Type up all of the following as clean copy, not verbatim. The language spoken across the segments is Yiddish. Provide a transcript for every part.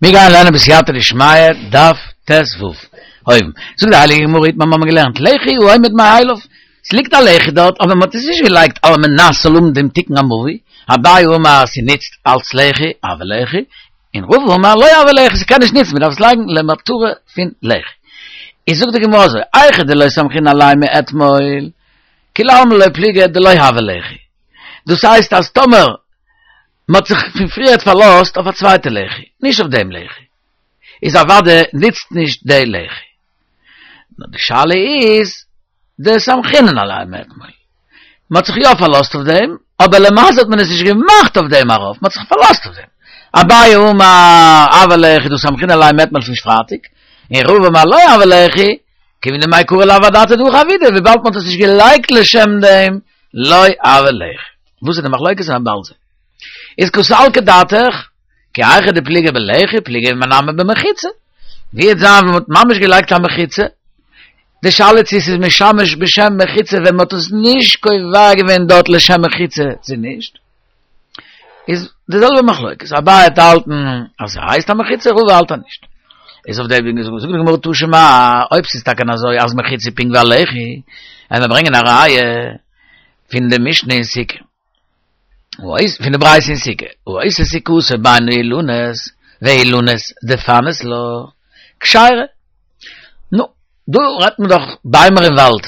מיר גייען לערנען בסייעתא דשמיא דף ט ו, אויבן. זאגט די הייליגע גמרא איתמר מיר האבן געלערנט לחי העומד מאליו, ס'ליגט א לחי דארט אבער מ'האט עס נישט געלייגט על מנת ס'זאל האבן דעם תיקון המבוי, אביי אמר ס'נוצט אלץ לחי, הוי לחי, און רבא אמר לא הוי לחי ס'קען נישט נוצן מ'דארף עס לייגן למטרה פון לחי. איז זאגט די גמרא אזוי, היכא דלא סמכינן עליה מאתמול, כולי עלמא לא פליגי דלא הוי לחי. דאס הייסט אז טאמער מען האט זיך פון פריערט פארלאזט אויף א צווייטע לחי, נישט אויף דעם לחי, איז אוודאי נוצט נישט די לחי. נאר די שאלה איז דסמכינן עליה מאתמול. מען האט זיך יא פארלאזט אויף דעם, אבער למעשה האט מען עס נישט געמאכט אויף דעם ארויף, מען האט זיך פארלאזט אויף דעם. אביי אמר הוי לחי דהא סמכינן עליה מאתמול פון פרייטאג, און רבא אמר לא הוי לחי, כיוון דמעיקרא לאו אדעתא דהכי עבידא, וויבאלד מען האט עס נישט געלייגט לשם דעם, לא הוי לחי. וואס איז די מחלוקת און באלד זען. איז קא סלקא דעתך, כי היכי דפליגי בלחי פליגי נמי במחיצה. ווי וועט זיין ווען מ'האט ממש געלייגט א מחיצה? די שאלה צו ס'איז משמש בשם מחיצה ווען מ'האט עס נישט קובע געווען דארט לשם מחיצה צו נישט. איז די זעלבע מחלוקת, אביי וועט האלטן אז ס'הייסט א מחיצה, רבא האלט אז נישט. איז אויף דעם זאגט די גמרא תא שמע, אויב ס'איז טאקע אזוי אז מחיצה פונקט ווי א לחי, עמיר ברענגען א ראיה פון די משנה אין סוכה, פון די ברייתא אין סוכה, העושה סוכתו בין האילנות והאילנות דפנות לה, כשרה. נו, דא רעדט מען דאך ביימער אין וואלד,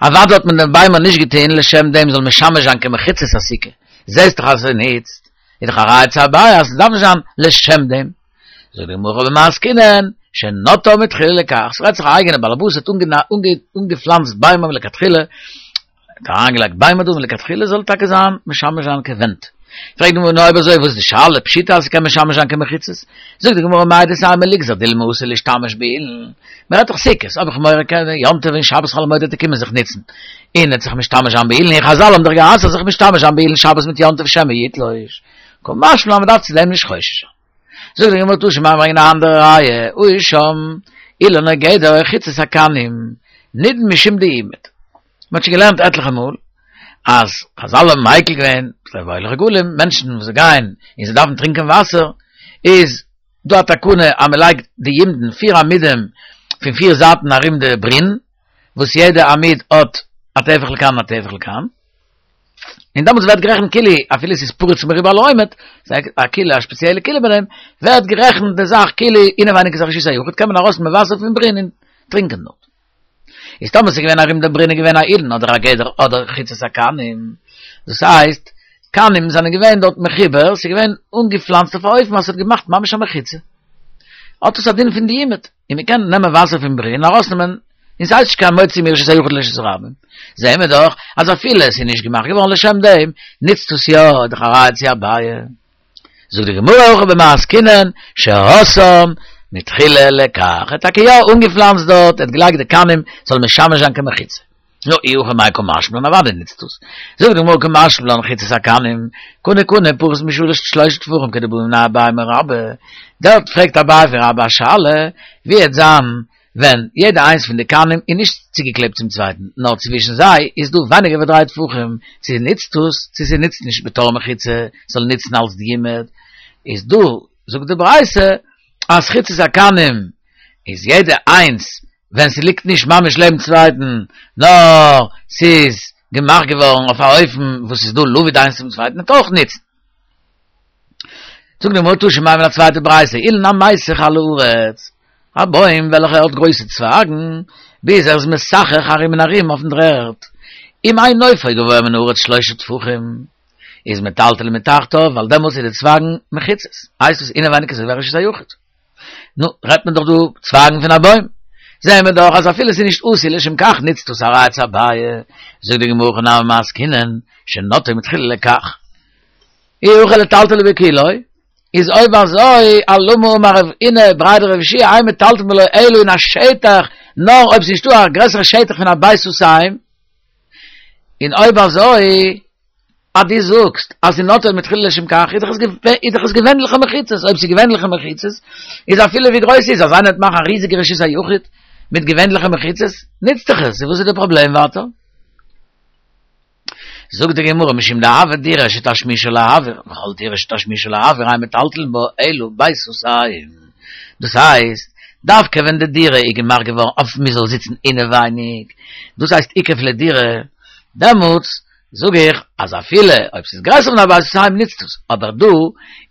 אוודאי האט מען די ביימער נישט געטון לשם דעם זאל משמש זיין כמחיצת הסוכה, זעסט דאך אז ס'נוצט, איז דאך א ראיה צו אביי אז ס'דארף נישט זיין לשם דעם. זאגט די גמרא הכא במאי עסקינן, שנטעה מתחילה לכך, ס'רעדט זיך א אייגענע באלעבאס האט אנגעפלאנצט ביימער מלכתחילה, האט אריינגעלייגט ביימער דא מלכתחילה זאל טאקע זיין משמש זיין כווענט. פרעגט די גמרא נו אויב אזוי וואס איז די שאלה פשיטא אז ס'קען משמש זיין כמחיצות? זאגט די גמרא מהו דתימא ליגזר דילמא אתי לאשתמש באילן, מ'רעדט דאך סוכות, האב איך מורא קען יום טוב און שבת חול המועד וועט ער קומען זיך נוצן און עט זיך משתמש זיין באילן און חזל האבן דאך גע'אסר'ט זיך משתמש זיין באילן שבת מיט יום טוב שמא יתלוש, קא משמע לן מ'דארף צו דעם נישט חושש זיין. זאגט די גמרא תא שמע ברענגען א אנדערע ראיה, העיר שם אילן או גדר או חיצת הקנים נידון משום דיומד. מען האט שוין געלערנט עטליכע מאל אז חזל האבן מיקל געווען ביי הולך רגלים, מענטשן וואס גייען און זיי דארפן טרינקען וואסער, איז דא א תקנה אז מען לייגט די יומדין פיר עמודים פון פיר זייטן ארום די ברין, וואס יעדע עמוד האט א טפח לכאן און א טפח לכאן, און דעמאלטס ווערט גערעכנט כאילו אפילו ס'איז פרוץ מרובה על העומד, א כילה א שפעציעלע כילה ביי דעם, ווערט גערעכנט די זאך כאילו אינעווייניג איז א רשות היחיד, קען מען ארויסנעמען וואסער פון ברין און טרינקען דארט. איז טאמער ס'איז געווען ארום דעם ברין איז געווען א אילן אדער א גדר אדער חיצת הקנים, דאס הייסט, קנים זענען געווען דארט מחובר, ס'איז געווען אנגעפלאנצט אויף א אופן אז ס'האט געמאכט ממש א מחיצה. האט עס א דין פון דיומד, און מ'קען נעמען וואסער פון ברין ארויסנעמען, און ס'הייסט נישט קיין מוציא מרשות היחיד לרשות הרבים. זעהן מיר דאך אז אפילו עס איז נישט געמאכט געווארן לשם דעם, נוצט עס יא, איז דאך א ראיה צו אביי. זאגט די גמרא הכא במאי עסקינן שעשאן מתחילה לכך, ער האט טאקע יא אנגעפלאנצט דארט, ער האט געלייגט די קנים ס'זאל משמש זיין כמחיצה. נו, אי הכי מאי קא משמע לן אוודאי נוצט עס. זאגט די גמרא קא משמע לן חיצת הקנים, קנה קנה פחות משלש שלשה טפחים כדבעי מיניה אביי מרבה, דארט פרעגט אביי פון רבה א שאלה, ווי העט זיין ווען יעדע איינס פון די קנים איז נישט צוגעקלעבט צום צווייטן, נאר צווישן זיי איז דא ווייניגער ווי דריי טפחים, צו נוצט עס, צו ס'נוצט נישט בתור מחיצה, ס'זאל נוצן אלס דיומד, איז דא, זאגט די ברייתא, אז חיצת הקנים איז יעדע איינס ווען ס'ליגט נישט ממש לעבן צווייטן, נאר ס'איז געמאכט געווארן אויף א אופן וואס ס'איז דא לבוד איינס צום צווייטן, וועט אויך נוצן. זאגט די גמרא תא שמע א צווייטע ברייתא, אילן המיסך על הארץ, א בוים וועלכע האט גרויסע צווייגן, ביז ער איז מסכך ארום און ארום אויפן דר'ערד, אם אין נופו גבוה מן הארץ שלושה טפחים, איז מטלטלין מתחתיו, ווייל דעמאלטס איז די צווייגן מחיצות, הייסט עס אינעווייניג איז אזוי ווי א רשות היחיד. נו, רעדט מען דאך דא צווייגן פון א בוים. זעהן מיר דאך אז אפילו ס'איז נישט עשוי לשם כך נוצט עס א ראיה צו אביי. זאגט די גמרא הכא נמי במאי עסקינן, שנטעו מתחילה לכך. אי הכי לטלטלו בכולו, איז אויב אזוי אלמה אמר רב הונא בריה דרב יהושע אין מטלטלין בו אלא אין א שטח, נאר אויב ס'נישטא א גרעסערע שטח פון א בית סאתים, און אויב אזוי אז דו זאגסט אז ס'איז נטעו מתחילה לשם כך, איז דאך עס געווענליכע מחיצות, אויב ס'איז געווענליכע מחיצות, איז אפילו ווי גרויס ס'איז, אז איינער וועט מאכן א ריזיגע רשות היחיד מיט געווענליכע מחיצות, נוצט דאך עס, וואס איז די פראבלעם ווייטער? זאגט די גמרא משום דהוה דירה שתשמישה לאויר, וכל דירה שתשמישה לאויר אין מטלטלין בה אלא בית סאתים. דאס הייסט, דווקא ווען די דירה איז געמאכט געווארן אויף מען זאל זיצן אינעווייניג, דאס הייסט איקוף לדירה, דעמאלטס זאג איך אז אפילו אויב ס'איז גרעסער פון א בית סאתים נוצט עס, אבער דא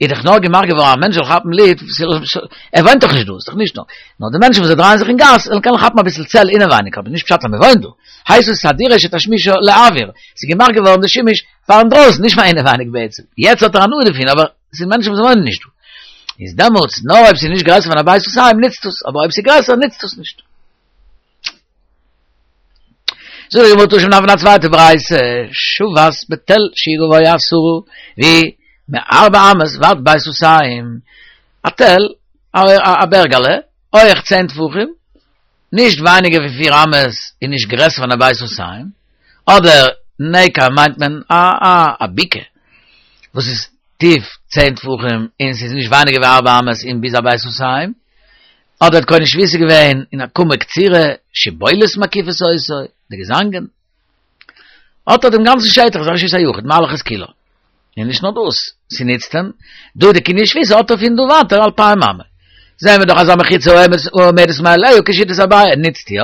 איז דאך נאר געמאכט געווארן א מענטש זאל כאפן לופט, ער וואוינט דאך נישט דא, ס'איז דאך נישט נאר נאר די מענטשן וואס זיי דרייען זיך אין גאס זאלן קענען כאפן אביסל צל אינעווייניג, אבער נישט פשט אז מ'וואוינט דא, הייסט עס א דירה שתשמישה לאוויר, ס'איז געמאכט געווארן די שימוש פאר אינדרויסן נישט פאר אינעווייניג בעצם, יעצט האט ער הנאה דערפון אבער ס'איז מענטשן וואס וואוינען נישט דא, איז דעמאלטס נאר אויב ס'איז נישט גרעסער פון א בית סאתים נוצט עס, אבער אויב ס'איז גרעסער נוצט עס נישט. זאגט די גמרא תא שמע פון א צווייטע ברייתא, שבת בתל שהוא גבוה עשרה והוא מארבע אמות ועד בית סאתים, א תל, א בערגעלע, הויעך צען טפחים, נישט ווייניגער ווי פיר אמות און נישט גרעסער פון א בית סאתים, אדער נקע מיינט מען א א א בקעה וואס איז טיף צען טפחים און ס'איז נישט ווייניגער ווי ארבע אמות און ביז א בית סאתים, אדער האט קונה שביתה געווען אין עקומה קצירה, שיבולת מקיפות אותו, די געזאנגען. האט ער דעם גאנצן שטח, איז א רשות היחיד, מהלך את כולה. און נישט נאר דאס, ס'נוצט אים, דא די קנין שביתה האט ער פון דא ווייטער אלפיים אמה. זעהן מיר דאך אז א מחיצה העומדת מאליה כשיטת אביי נוצט יא.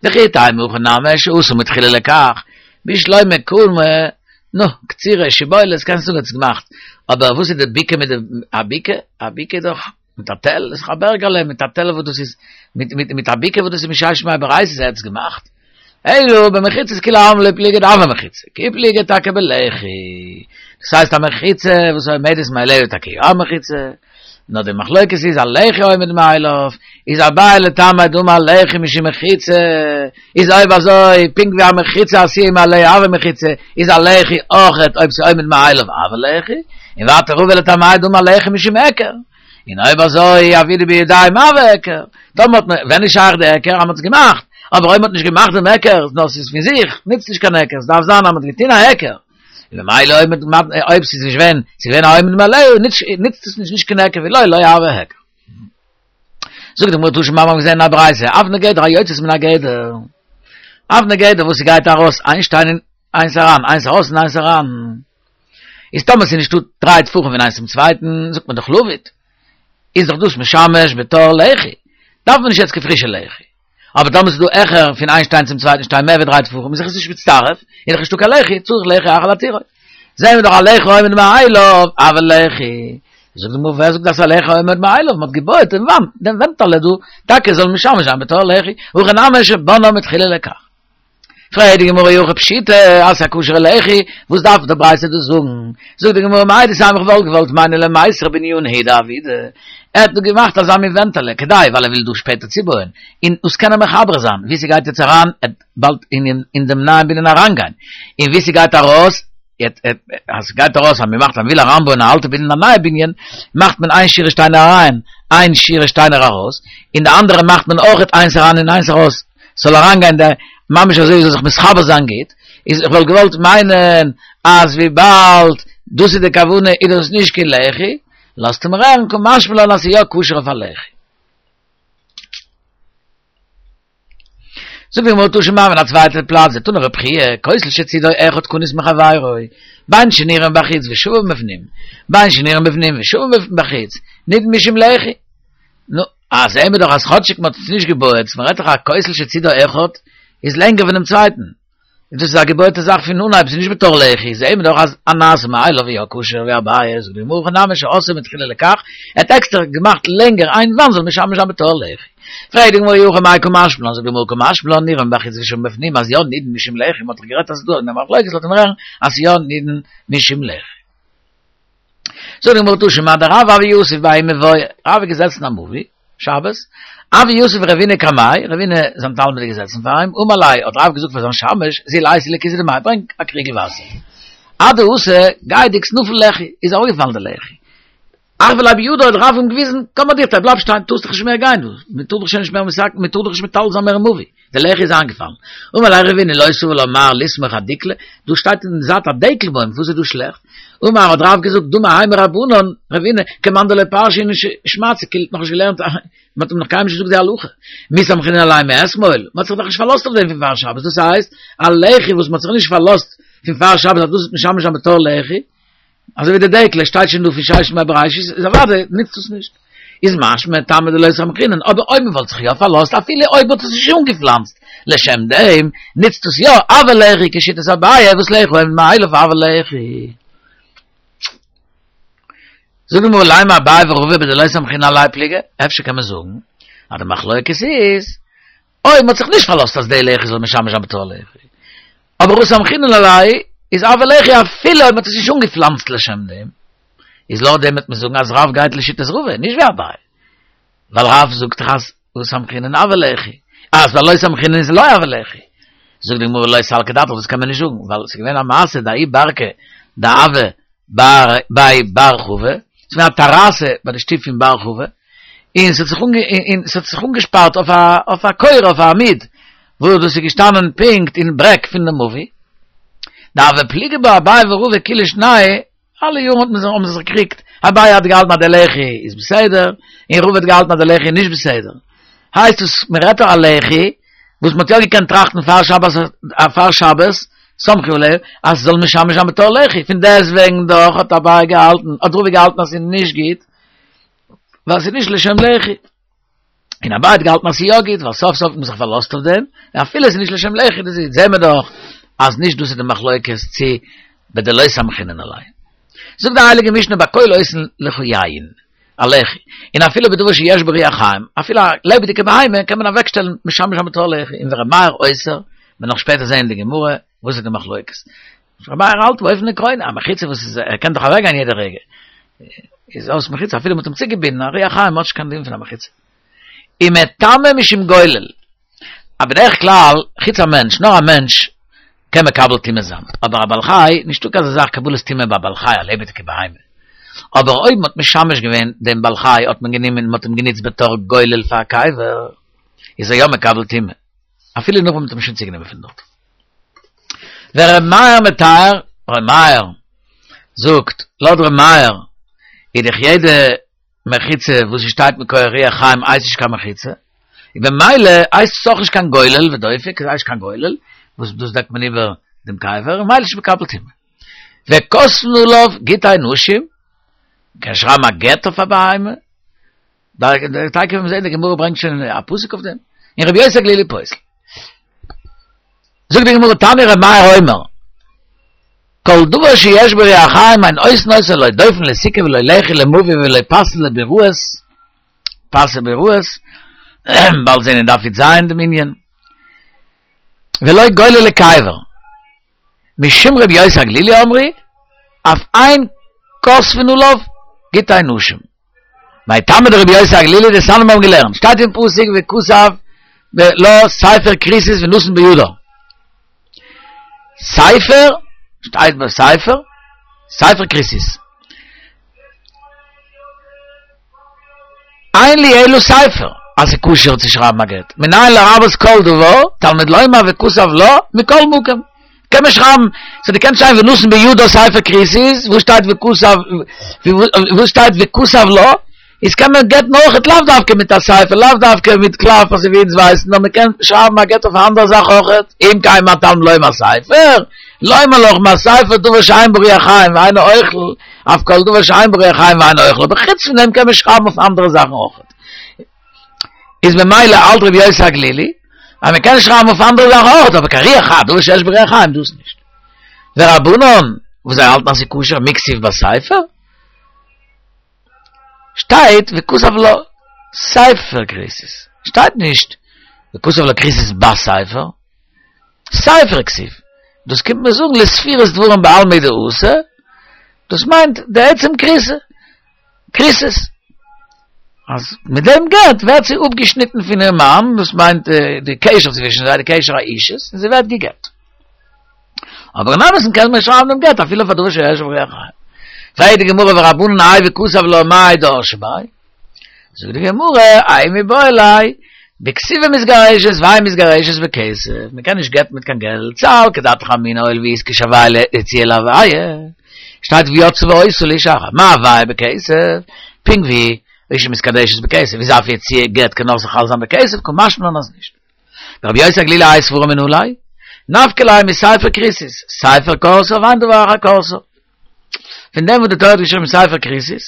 וכי תימא הכא נמי שעשאה מתחילה לכך, בשלמא עקומה, נו, קצירה, שיבולת, קענסט זאגן האט עס געמאכט. אבער וואס איז די בקעה מיט די, א בקעה? א בקעה איז דאך. מיט א תל, איז דאך א בערגעלע מיט א תל וואס דאס איז, מיט מיט מיט א בקעה וואס דאס איז מששת ימי בראשית ער האט עס געמאכט. אלא במחיצות כולי עלמא לא פליגי דהוה מחיצה, כי פליגי טאקע בלחי. דאס הייסט א מחיצה וואס עומדת מאליה איז טאקע יא א מחיצה, נאר די מחלוקת איז א לחי עומד מאליו, איז אביי לטעמיה דאמר לחי משום מחיצה, איז אויב אזוי פונקט ווי א מחיצה עשויה מאליה הוה מחיצה, איז א לחי אויכעט אויב ס'עומד מאליו הוה לחי, און ווייטער רבא לטעמיה דאמר לחי משום היכר, און אויב אזוי עבידא בידים הוה היכר, טאמער האט מען, ווען איז שייך די היכר אז מ'האט עס געמאכט, אבער אויב מ'האט נישט געמאכט דעם היכר, נאר ס'איז פון זיך, נוצט נישט קיין היכר, ס'דארף זיין אז מ'האט געטון א היכר, און ממילא אויב מ'האט, אויב ס'איז נישט געווען, ס'איז געווען א עומד מאליו, נוצט עס נישט נישט קיין היכר ואי לא לא הוה היכר. זאגט די גמרא תא שמע מיר האבן געזען אין א ברייתא, אבני גדר היוצאות מן הגדר, אבני גדר וואס ס'גייט ארויס איין שטיין און איינס אריין, איינס ארויס און איינס אריין, איז טאמער ס'איז נישטא דריי טפחים פון איינס צום צווייטן, זאגט מען דאך לבוד, איז דאך דאס משמש בתור לחי, דארף מען נישט יעצט קיין פרישע לחי. אבער טאמער ס'איז דא העכער פון איין שטיין צום צווייטן שטיין מער ווי דריי טפחים איז דאך עס נישט מצטרף, איז דאך נישטא קיין לחי, צריך לחי אחר להתירו. זעהן מיר דאך א לחי העומד מאליו, הוה לחי. זאגט די גמרא ווער זאגט אז א לחי העומד מאליו, מ'האט געבויעט דעם וואנט, דעם ווענטעלע דא, טאקע זאל משמש זיין בתור לחי, הכא נמי שבנאו מתחילה לכך. פרעגט די גמרא אי הכי פשיטא אז ס'איז א כשר'ע לחי, וואס דארף די ברייתא דאס זאגן? זאגט די גמרא מהו דתימא איך וואלט געוואלט מיינען למיסר בנינא הוא דעבידא, ער האט דא געמאכט אזא מין ווענטעלע כדי ווייל ער וויל דא שפעטער צובויען און דאס קענען מחבר זיין ווי ס'גייט יעצט אריין עט באלד אין דעם נייעם בנין אריינגיין און ווי ס'גייט ארויס אז ס'גייט ארויס אז מ'מאכט אז מ'וויל אריינבויען א אלטע בנין א נייע בנין מאכט מען איין שורה שטיינער אריין איין שורה שטיינער ארויס און די אנדערע מאכט מען אויכעט איינס אריין און איינס ארויס ס'זאל אריינגיין די ממש אזוי זאל זיך מתחבר זיין גוט, איז איך וואלט געוואלט מיינען אז וויבאלד דאס איז די כוונה איז דאס נישט קיין לחי, לאזט אים הערן קא משמע לן אז ס'איז יא כשר אויף א לחי. זאגט די גמרא תא שמע אין א צווייטע פלאץ דתני רבי חייא כותל שצידו אחד כנוס מחבירו בין שנראה מבחוץ ושווה מבפנים בין שנראה מבפנים ושווה מבחוץ נידון משום לחי נו, אה, זעהן מיר דאך אז כאטשיג מ'האט עס נישט געבויעט, מ'רעדט דאך א כותל שצידו אחד איז לענגער פונעם צווייטן, און דאס איז א געבויעטע זאך פון אנהייב, ס'איז נישט בתור לחי, זעהן מיר דאך אז הנעשה מאליו איז יא כשר ווי אביי, זאגט די גמרא הכא נמי שעשאו מתחילה לכך, ער האט עקסטער געמאכט לענגער איין וואנט זאל משמש זיין בתור לחי. פרעגט די גמרא אי הכי מאי קא משמע לן, זאגט די גמרא קא משמע לן נראה מבחוץ ושווה מבפנים אז יא נידון משום לחי, מ'האט דאך גערעדט אז ס'איז דא א מחלוקת לאזט מען הערן אז יא נידון משום לחי. זאגט די גמרא תא שמע דרב הוה יתיב בההוא מבואה, רב איז געזעצן אין א מבוי, שבת, הוה יתיב רבינא קמיה, רבינא זיין תלמיד איז געזעצן פאר אים, אמר ליה, האט רב געזאגט פאר זיין שמש, זיל אייתי לי כסא דמיא, ברענג א קריגל וואסער. אדאתא, גייענדיג נפל לחי, איז אראפגעפאלן די לחי. אחוי ליה בידא האט רב אים געוויזן, קום אדיכתיה, בלייב שטיין, טארסט דאך נישט מער גיין דא, מען טאר דאך שוין נישט מער מתקן, מען טאר דאך נישט מטלטל זיין מער אין מבוי. די לחי איז איינגעפאלן. אמר ליה רבינא לא סבר לה מר לסמוך אדיקלא, דא שטייט אין די זייט א דעקל בוים, וואס איז דא שלעכט? אמר האט רב געזאגט דמי האי מרבנן, רבינא, כמאן דלא פרשא איניש שמעתתא, כאילו האט נאכנישט געלערנט, מען האט אים נאך קיינמאל נישט געזאגט די הלכה. מי סמכינן עליה מאתמול, מען האט זיך דאך נישט פארלאזט אויף דעם פון פאר שבת, דאס הייסט, א לחי וואס מען האט זיך נישט פארלאזט פון פאר שבת אז דאס וועט משמש זיין בתור לחי, אזוי ווי די דעקל שטייט שוין דא פון ששת ימי בראשית, איז אוודאי נוצט עס נישט. איז משמע טעמא דלא סמכינן, אבער אויב מ'וואלט זיך יא פארלאזט אפילו אויב מ'האט עס נישט אנגעפלאנצט לשם דעם, נוצט עס יא הוי לחי כשיטת אביי וואס לחי העומד מאליו הוי לחי. זאג מיר לימא אביי ורבא בדלא סמכינן עליה פליגי, אפשר קען מען זאגן אז די מחלוקת איז אויב מ'האט זיך נישט פארלאזט אז די לחי זאל משמש זיין בתור לחי, אבער הא סמכינן עליה איז הוי לחי אפילו אויב מ'האט עס נישט אנגעפלאנצט לשם דעם, איז לויט דעם וועט מען זאגן אז רב גייט לשיטת רבא, נישט ווי אביי, ווייל רב זאגט דאך אז הא סמכינן הוי לחי, אז לא סמכינן איז לא הוי לחי. זאגט די גמרא לא סלקא דעתך דאס קען מען נישט זאגן, ווייל עס איז געווען א מעשה דההוא ברקא דהוה בי בר חבא, עס איז געווען א טעראסע ביי די שטוב פון בר חבא, און ס'האט זיך און ס'האט זיך אנגעשפארט אויף א אויף א קורה אויף א עמוד וואס דאס איז געשטאנען פונקט אין ברעג פון די מבוי, דהוו פליגי בה אביי ורבא כולי שנייהו, אלע יארן האט מען זיך האבן זיי זיך געקריגט, אביי האט געהאלטן אז די לחי איז בסדר, און רבא האט געהאלטן אז די לחי איז נישט בסדר. הייסט עס מען רעדט דא א לחי וואס מען האט יא געקענט טראכטן פאר שבת פאר שבת סמכו עליה אז ס'זאל משמש זיין בתור לחי, פון דעסטוועגן דאך האט אביי געהאלטן האט רבא געהאלטן אז ס'איז נישט גוט ווייל ס'איז נישט לשם לחי. און אביי האט געהאלטן אז ס'איז יא גוט, ווייל סוף סוף האט מען זיך פארלאזט אויף דעם, און אפילו עס איז נישט לשם לחי, דאס איז, זעהן מיר דאך אז נישט דאס איז די מחלוקת צו בדלא סמכינן עליה. זאגט די הייליגע משנה בכל עושין לך יין, א לחי, און אפילו בדבר שיש בו רוח חיים, אפילו א לעבעדיגע בהמה קען מען אוועקשטעלן משמש זיין בתור לחי, און ור' מאיר אוסר, מ'וועט נאך שפעטער זעהן אין די גמרא וואס איז די מחלוקת. ר' מאיר האלט באופן עקרוני, א מחיצה וואס איז, ער קען דאך אוועקגיין יעדע רגע, איז אויס מחיצה, אפילו מ'האט אים צוגעבינדן, א רוח חיים האט נישט קיין דין פון א מחיצה. ומטמא משום גולל. א בדרך כלל, חוץ א מענטש, נאר א מענטש קען מקבל טומאה זיין, אבער א בעל חי, נישטא קיין אזא זאך קבלת טומאה ביי א בעל חי, א לעבעדיגע בהמה. אבער אויב מ'האט משמש געווען דעם בעל חי, האט מען גענומען, מ'האט אים גענוצט בתור גולל פאר א קבר, איז ער יא מקבל טומאה, אפילו נאך ווען מ'האט אים שוין צוגענומען פון דארט. ור' מאיר מטהר, ר' מאיר זאגט, לויט ר' מאיר איז דאך יעדע מחיצה וואס ס'שטייט מכח רוח חיים הייסט נישט קיין מחיצה, און במילא הייסט עס אויך נישט קיין גולל ודופק, עס הייסט קיין גולל, וואס דאס דעקט מען איבער דעם קבר, און ממילא איז נישט מקבל טומאה. וכותבין עליו גיטי נשים, מ'קען שרייבן א גט אויף א בהמה, תיכף וועט מען זען די גמרא ברענגט שוין א פסוק אויף דעם, און רבי יוסי הגלילי פוסל. זאגט די גמרא תניא רבי מאיר אומר, כל דבר שיש בו רוח חיים אין עושין אותו לא דופן לסוכה ולא לחי למבוי ולא פסי לביראות, פסי ביראות, באלד זען אין דף י"ז דעם ענין, ולא גולל לקבר. משום רבי יוסי הגלילי אמרו, אף אין כותבין עליו גיטי נשים. מאי טעמא דרבי יוסי הגלילי דתניא מיר האבן געלערנט, שטייט אין פסוק וכתב לה ספר כריתות ונתן בידה. ספר, שטייט ביי ספר, ספר כריתות. אין לי אלא ספר, אז ס'איז כשר צו שרייבן א גט. מנין לרבות כל דבר, תלמוד לומר וכתב לה, מכל מקום. קען מען שרייבן, סאו דו קענסט שרייבן ונתן בידה ספר כריתות, וואו שטייט וכתב, וואו שטייט וכתב לה, איז קען מען גט'ן אויכעט לאו דווקא מיט א ספר, לאו דווקא מיט קלף אזוי ווי אונז ווייסן, נאר מען קען שרייבן א גט אויף א אנדערע זאך אויכעט, אם כן מה תלמוד לומר ספר, לומר לך מה ספר דבר שאין בו רוח חיים ואינו אוכל, אף כל דבר שאין בו רוח חיים ואינו אוכל, אבער חוץ פון דעם קען מען שרייבן אויף אנדערע זאכן אויכעט. איז ממילא האלט רבי יוסי הגלילי אז מען קען שרייבן אויף אנדערע זאכן אויכעט, אבער קיין רוח חיים, דבר שיש בו רוח חיים דאס נישט. ורבנן, וואס זיי האלטן אז ס'איז כשר מי כתיב בספר? שטייט וכתב לה ספר כריתות, שטייט נישט וכתב לה כריתות בספר, ספר כתיב, דאס קומט מיר זאגן לספירת דברים בעלמא דאתי, דאס מיינט די עצם כריתה, כריתות, אז מיט דעם גט ווערט זי אפגעשניטן פון איר מאן, דאס מיינט די קשר צווישן זיי, די קשר האישות, און זי ווערט גע'גט. אבער אין אמת'ן קען מען שרייבן דעם גט אפילו פאר דבר שיש בו רוח חיים. פרעגט די גמרא ורבנן האי וכתב לה מאי דרשי ביה? זאגט די גמרא, האי מיבעי ליה, בכתובה מתגרשת ואין מתגרשת בכסף, מען קען נישט גט'ן מיט קיין געלט, סלקא דעתך אמינא הואיל ואיתקש הויה יציאה להוויה, שטייט ויצאה והיתה לאיש אחר, מה הוויה בכסף, פונקט ווי אשה מתקדשת בכסף, איז אף יציאה גט קען אויך זיך חל זיין בכסף, קא משמע לן אז נישט. ורבי יוסי הגלילי האי סברא מנא ליה? נפקא ליה מספר כריתות, ספר כרתה ואין דבר אחר כורתה. פון דעם וואס די תורה האט געשריבן ספר כריתות,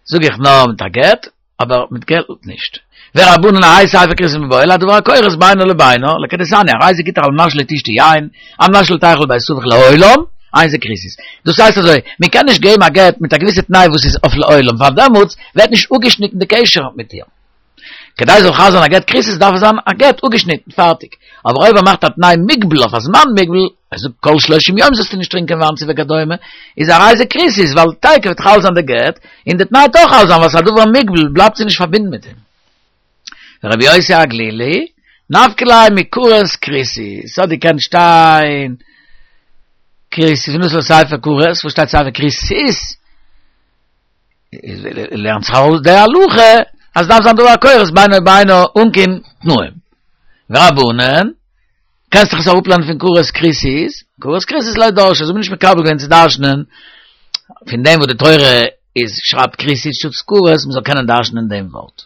זאג איך נאר מיט א גט. אבער מיט געלט נישט. ורבנן האי ספר כריתות מיבעי ליה הדבר הכורת בינו לבינה, לכדתניא, הרי זה גיטך על מנת שלא תשתי יין, על מנת שלא תלכי לבית אביך לעולם, אין זה כריתות. דאס הייסט אזוי, מען קען נישט געבן א גט מיט א געוויסע תנאי וואס איז אויף לעולם, ווייל דעמאלטס ווערט נישט אפגעשניטן די קשר מיט איר. כדי ס'זאל חל זיין א גט כריתות דארף עס זיין א גט אפגעשניטן, פארטיג. אבער אויב ער מאכט א תנאי מוגבל אויף א זמן מוגבל, ער זאגט כל שלושים יום זאלסטו נישט טרינקען וויין צו וכדומה, איז הרי זה כריתות, ווייל תיכף וועט חל זיין די גט, און די תנאי וועט אויך חל זיין ווייל ס'איז א דבר מוגבל בלייבט זי נישט פארבינדן מיט אים. ורבי יוסי הגלילי, נפקא ליה מכרת כריתות, ס'האט געקענט שטיין כריתות, ונתן לה ספר כרת, וואס שטייט ספר כריתות? לערנט זיך ארויס די הלכה אז דארף זיין דבר הכורת בינו לבינה אן קיין תנאים. ורבנן, קענסט דאך עס אראפלערנען פון כרת כריתות, כרת כריתות לא דרשי, אזוי האט מען נישט מקבל געווען צו דרש'נען פון דעם וואס די תורה איז שרייבט כריתות שטאטס כרת, מען זאל קענען דרש'נען דעם ווארט.